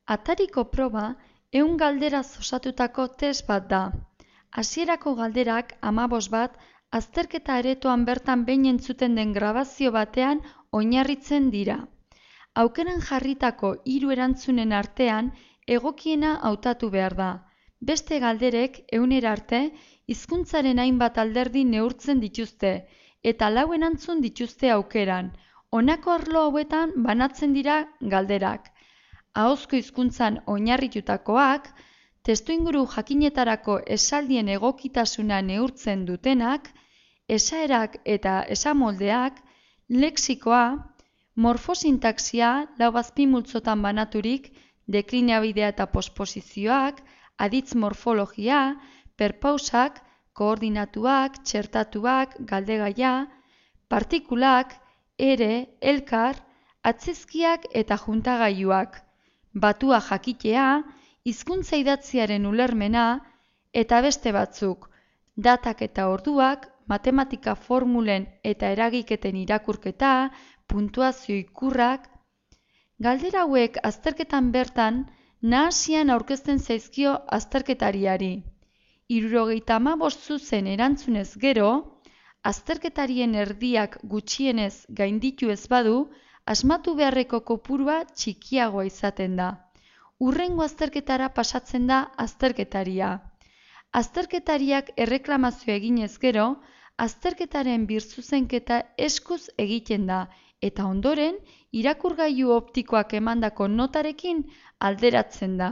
Atariko proba 100 galderaz osatutako test bat da. Hasierako galderak 15 bat azterketa aretoan bertan behin entzuten den grabazio batean oinarritzen dira. Aukeran jarritako 3 erantzunen artean egokiena hautatu behar da. Beste galderek 100 arte hizkuntzaren hainbat alderdi neurtzen dituzte eta 4 erantzun dituzte aukeran. Honako arlo hauetan banatzen dira galderak. Ahozko hizkuntzan oinarritutakoak, testuinguru jakinetarako esaldien egokitasuna neurtzen dutenak, esaerak eta esamoldeak, lexikoa, morfosintaxia 4 azpimultzotan banaturik, deklinabidea eta posposizioak, aditz morfologia, perpausak, koordinatuak, txertatuak, galdegaia, partikulak, ere, elkar, atzizkiak eta juntagailuak, batua jakitea, hizkuntza idatziaren ulermena eta beste batzuk, datak eta orduak, matematika formulen eta eragiketen irakurketa, puntuazio ikurrak. Galdera hauek azterketan bertan nahasian aurkezten zaizkio azterketariari. 75 zuzen erantzunez gero, azterketarien erdiak gutxienez gainditu ez badu, asmatu beharreko kopurua txikiagoa izaten da. Hurrengo azterketara pasatzen da azterketaria. Azterketariak erreklamazioa eginez gero, azterketaren birzuzenketa eskuz egiten da eta ondoren irakurgailu optikoak emandako notarekin alderatzen da.